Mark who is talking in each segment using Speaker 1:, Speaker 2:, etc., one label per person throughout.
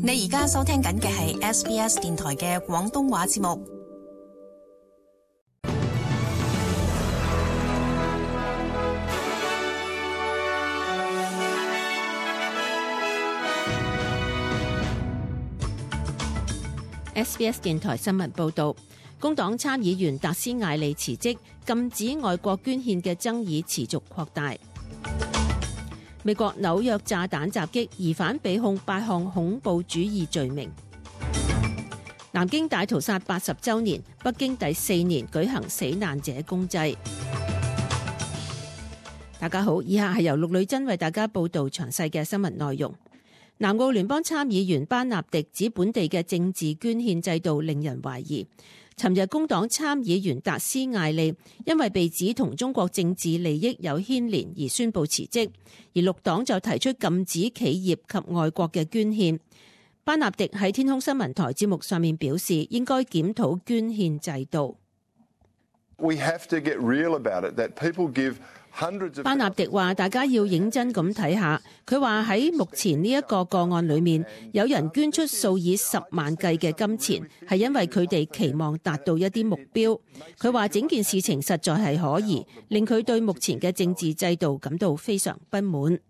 Speaker 1: 你而家收聽緊嘅係 SBS 電台嘅廣東話節目。
Speaker 2: SBS 電台新聞報導，工黨參議員達斯艾利辭職，禁止外國捐獻嘅爭議持續擴大。美國紐約炸彈襲擊疑犯被控8項恐怖主義罪名。南京大屠殺80週年，北京第4年舉行死難者公祭。大家好，以下係由陸女珍為大家報導詳細嘅新聞內容。南澳聯邦參議員班納迪指本地嘅政治捐獻制度令人懷疑。尋日工黨參議員達斯艾利因為被指同中國政治利益有牽連而宣布辭職，而綠黨就提出禁止企業及外國嘅捐獻。班納迪喺天空新聞台節目上面表示，應該檢討捐獻制度。班納迪話：大家要認真咁睇下。佢話喺目前呢一個個案裏面，有人捐出數以10萬計嘅金錢，係因為佢哋期望達到一啲目標。佢話整件事情實在係可疑，令佢對目前嘅政治制度感到非常不滿。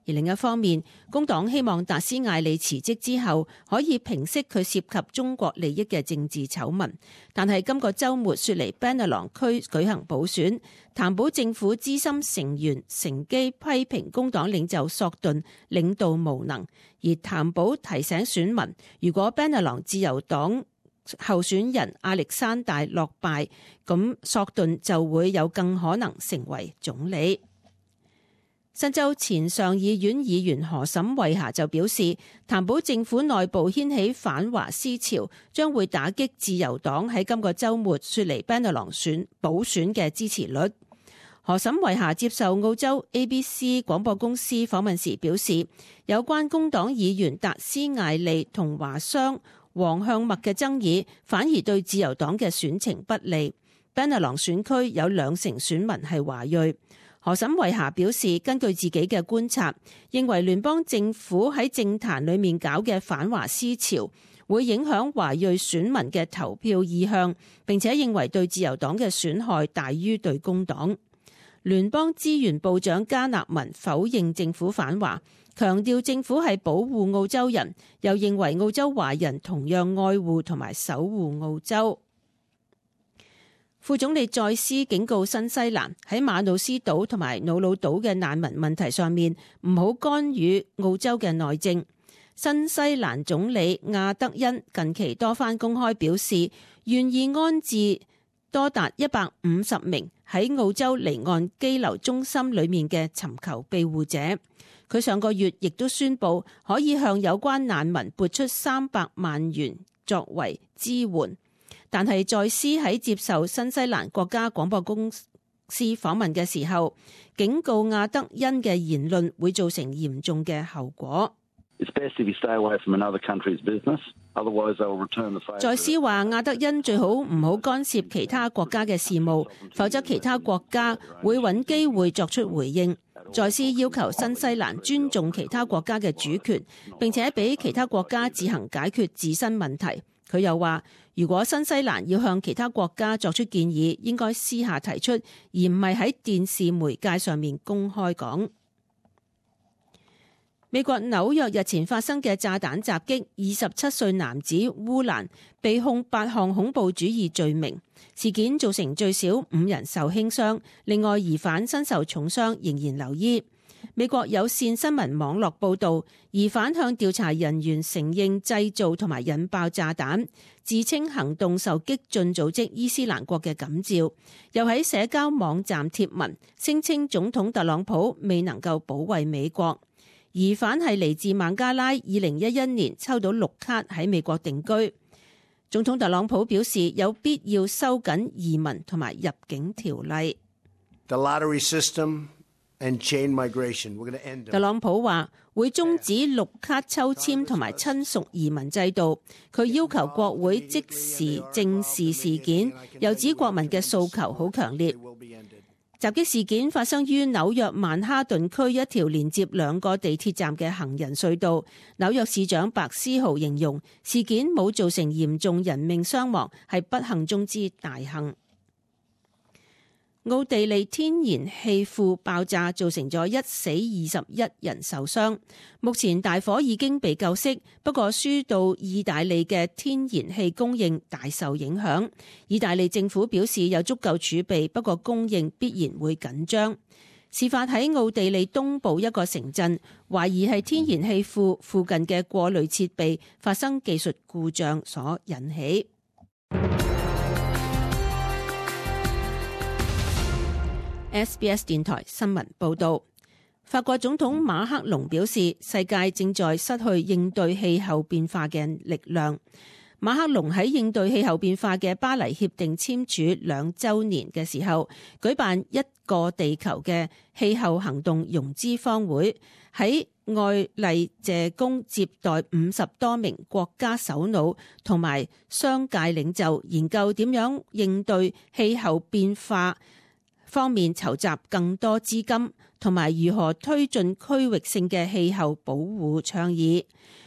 Speaker 2: 而另一方面，工黨希望達斯艾利辭職之後可以平息佢涉及中國利益嘅政治醜聞。但係今個週末雪梨 Bennelong 區舉行補選，譚保政府資深成員乘機批評工黨領袖索頓領導無能，而譚保提醒選民，如果 Bennelong 自由黨候選人亞歷山大落敗，咁索頓就會有更可能成為總理。新州前上議院議員何沈慧霞就表示，譚保政府內部掀起反華思潮，將會打擊自由黨喺今個週末雪梨 Bennelong 補選嘅支持率。何沈慧霞接受澳洲 ABC 廣播公司訪問時表示，有關工黨議員達斯艾利同華商黃向墨嘅爭議，反而對自由黨嘅選情不利。Bennelong 選區有20%選民係華裔。何沈慧霞表示，根據自己嘅觀察，認為聯邦政府喺政壇裏面搞嘅反華思潮會影響華裔選民嘅投票意向，並且認為對自由黨嘅損害大於對工黨。聯邦資源部長加納文否認政府反華，強調政府係保護澳洲人，又認為澳洲華人同樣愛護同埋守護澳洲。副總理再斯警告新西蘭喺馬努斯島同埋瑙魯島嘅難民問題上面唔好干預澳洲嘅內政。新西蘭總理亞德恩近期多番公開表示，願意安置多達150名喺澳洲離岸羈留中心裏面嘅尋求庇護者。佢上個月亦都宣布可以向有關難民撥出300萬元作為支援。但係再斯喺接受新西蘭國家廣播公司訪問嘅時候，警告亞德恩嘅言論會造成嚴重嘅後果。再斯話亞德恩最好唔好干涉其他國家嘅事務，否則其他國家會揾機會作出回應。再斯要求新西蘭尊重其他國家嘅主權，並且俾其他國家自行解決自身問題。佢又話，如果新西蘭要向其他國家作出建議，應該私下提出，而唔係喺電視媒介上面公開講。美國紐約日前發生嘅炸彈襲擊，27歲男子烏蘭被控8項恐怖主義罪名，事件造成最少5人受輕傷，另外疑犯身受重傷，仍然留醫。美國有線新聞網絡報導，疑犯向調查人員承認製造同埋引爆炸彈，自稱行動受激進組織伊斯蘭國嘅感召，又喺社交網站貼文，聲稱總統特朗普未能夠保衛美國。疑犯係嚟自孟加拉，2011年抽到綠卡喺美國定居。總統特朗普表示有必要收緊移民同埋入境條例。特朗普話會終止綠卡抽籤同埋親屬移民制度，佢要求國會即時正視事件，又指國民嘅訴求好強烈。襲擊事件發生於紐約曼哈頓區一條連接兩個地鐵站嘅行人隧道。紐約市長白思豪形容事件冇造成嚴重人命傷亡，係不幸中之大幸。奧地利天然氣庫爆炸造成咗1死21人受傷，目前大火已經被救熄，不過輸到意大利嘅天然氣供應大受影響。意大利政府表示有足夠儲備，不過供應必然會緊張。事發喺奧地利東部一個城鎮，懷疑係天然氣庫附近嘅過濾設備發生技術故障所引起。SBS 電台新聞報道，法國總統馬克龍表示，世界正在失去應對氣候變化嘅力量。馬克龍喺應對氣候變化嘅巴黎協定簽署2週年嘅時候，舉辦一個地球嘅氣候行動融資坊會，喺愛麗謝宮接待50多名國家首腦同埋商界領袖，研究點樣應對氣候變化方面籌集更多資金，同埋如何推進區域性嘅氣候保護倡議。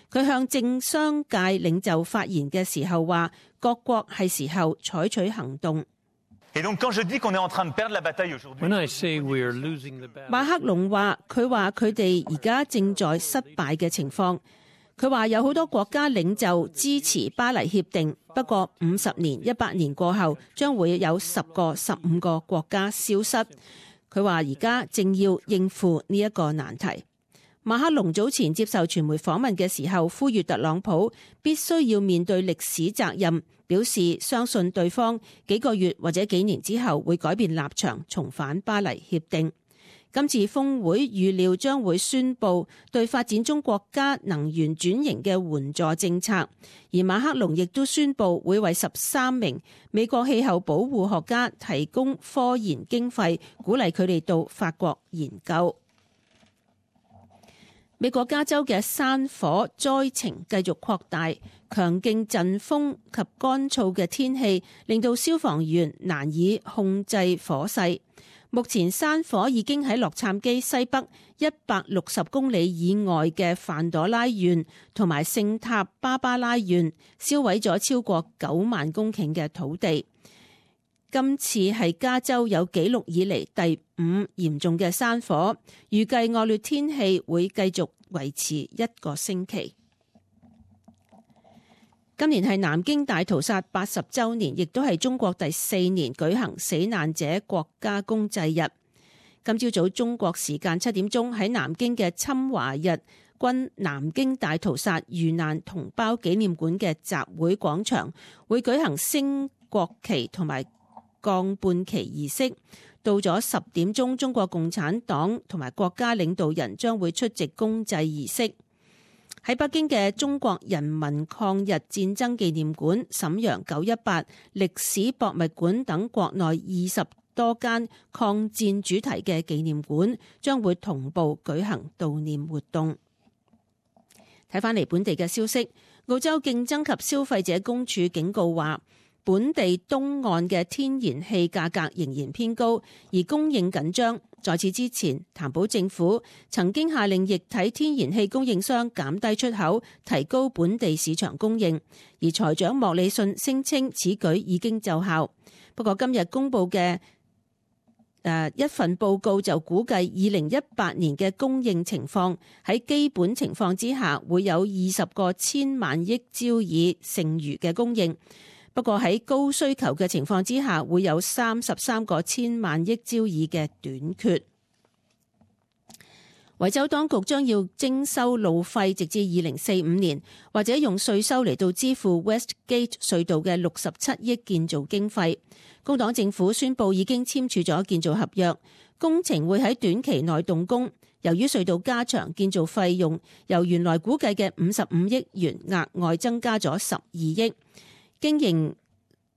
Speaker 2: 佢向政商界領袖發言嘅時候話，各國係時候採取行動。馬克龍話，佢哋而家正在失敗嘅情況。佢話有好多國家領袖支持巴黎協定，不過50年、100年過後，將會有10個、15個國家消失。佢話而家正要應付呢一個難題。馬克龍早前接受傳媒訪問嘅時候，呼籲特朗普必須要面對歷史責任，表示相信對方幾個月或者幾年之後會改變立場，重返巴黎協定。今次峰會預料將會宣布對發展中國家能源轉型嘅援助政策，而馬克龍亦都宣布會為13名美國氣候保護學家提供科研經費，鼓勵佢哋到法國研究。美國加州嘅山火災情繼續擴大，強勁陣風及乾燥嘅天氣令到消防員難以控制火勢。目前山火已經喺洛杉磯西北160公里以外嘅范朵拉縣同埋聖塔芭芭拉縣燒毀咗超過9萬公頃嘅土地。今次係加州有紀錄以嚟第5嚴重嘅山火，預計惡劣天氣會繼續維持1個星期。今年係南京大屠殺80週年，亦都係中國第4年舉行死難者國家公祭日。今朝早中國時間7點鐘喺南京嘅侵華日軍南京大屠殺遇難同胞紀念館嘅集會廣場會舉行升國旗同埋降半旗儀式。到咗10點鐘，中國共產黨同埋國家領導人將會出席公祭儀式。喺北京嘅中國人民抗日戰爭紀念館、瀋陽918歷史博物館等國內20多間抗戰主題嘅紀念館將會同步舉行悼念活動。睇返嚟本地嘅消息，澳洲競爭及消費者公署警告話，本地東岸嘅天然氣價格仍然偏高，而供應緊張。在此之前，譚寶政府曾經下令液體天然氣供應商減低出口，提高本地市場供應。而財長莫里遜聲稱此舉已經奏效。不過今日公布嘅一份報告就估計2018年嘅供應情況喺基本情況之下會有20個千萬億焦耳剩餘嘅供應。不過喺高需求嘅情況之下，會有33個千萬億焦耳嘅短缺。維州當局將要徵收路費，直至2045年，或者用稅收嚟到支付 Westgate 隧道嘅67億建造經費。工黨政府宣布已經簽署咗建造合約，工程會喺短期內動工。由於隧道加長，建造費用由原來估計嘅55億元額外增加咗12億。經營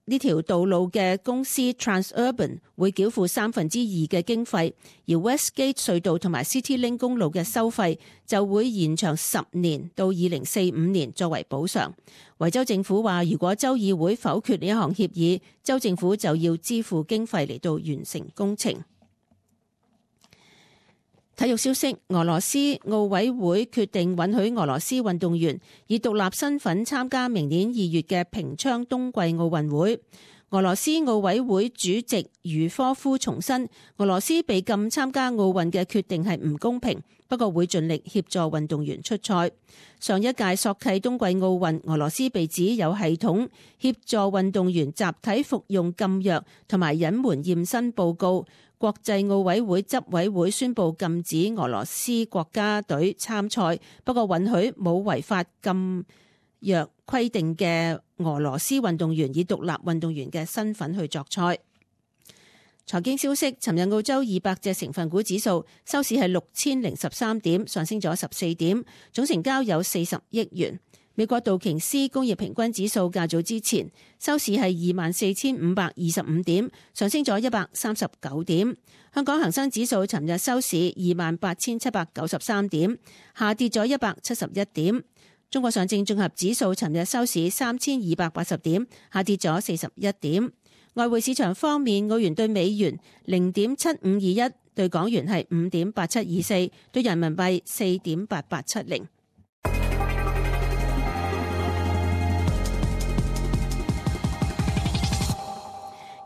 Speaker 2: 呢條道路嘅公司 Transurban 會繳付2/3嘅經費，而 Westgate 隧道同埋 CityLink 公路嘅收費就會延長10年到2045年作為補償。維州政府話，如果州議會否決呢一項協議，州政府就要支付經費嚟到完成工程。體育消息，俄羅斯奧委會決定允許俄羅斯運動員以獨立身份參加明年2月嘅平昌冬季奧運會。俄羅斯奧委會主席茹科夫重申，俄羅斯被禁參加奧運嘅決定係唔公平，不過會盡力協助運動員出賽。上一屆索契冬季奧運，俄羅斯被指有系統協助運動員集體服用禁藥同埋隱瞞驗身報告。國際奧委會執委會宣布禁止俄羅斯國家隊參賽，不過允許冇違法禁藥規定嘅俄羅斯運動員以獨立運動員嘅身份去作賽。財經消息，尋日澳洲200隻成分股指數收市係6013點，上升咗14點，總成交有40億元。美國道瓊斯工業平均指數較早之前收市係24,525點，上升咗139點。香港恒生指數尋日收市28,793點，下跌咗171點。中國上證綜合指數尋日收市3280點，下跌咗41點。外匯市場方面，澳元對美元0.7521，對港元係5.8724，對人民幣4.8870。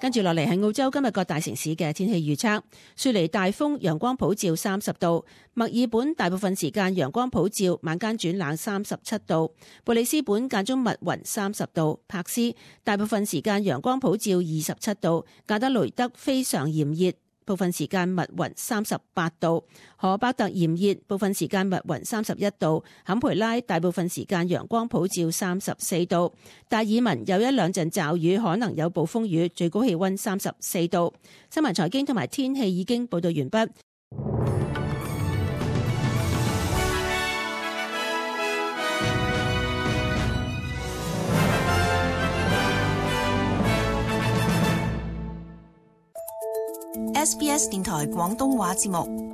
Speaker 2: 跟住落嚟係澳洲今日各大城市嘅天氣預測。雪梨大風，陽光普照30度；墨爾本大部分時間陽光普照，晚間轉冷37度；布里斯本間中密雲30度；柏斯大部分時間陽光普照27度；加德雷德非常炎熱，部分時間密雲38度；荷伯特炎熱，部分時間密雲31度；坎培拉大部分時間陽光普照34度；達爾文有一兩陣驟雨，可能有暴風雨，最高氣溫34度。新聞財經同埋天氣已經報道完畢。
Speaker 1: SBS 電台廣東話節目。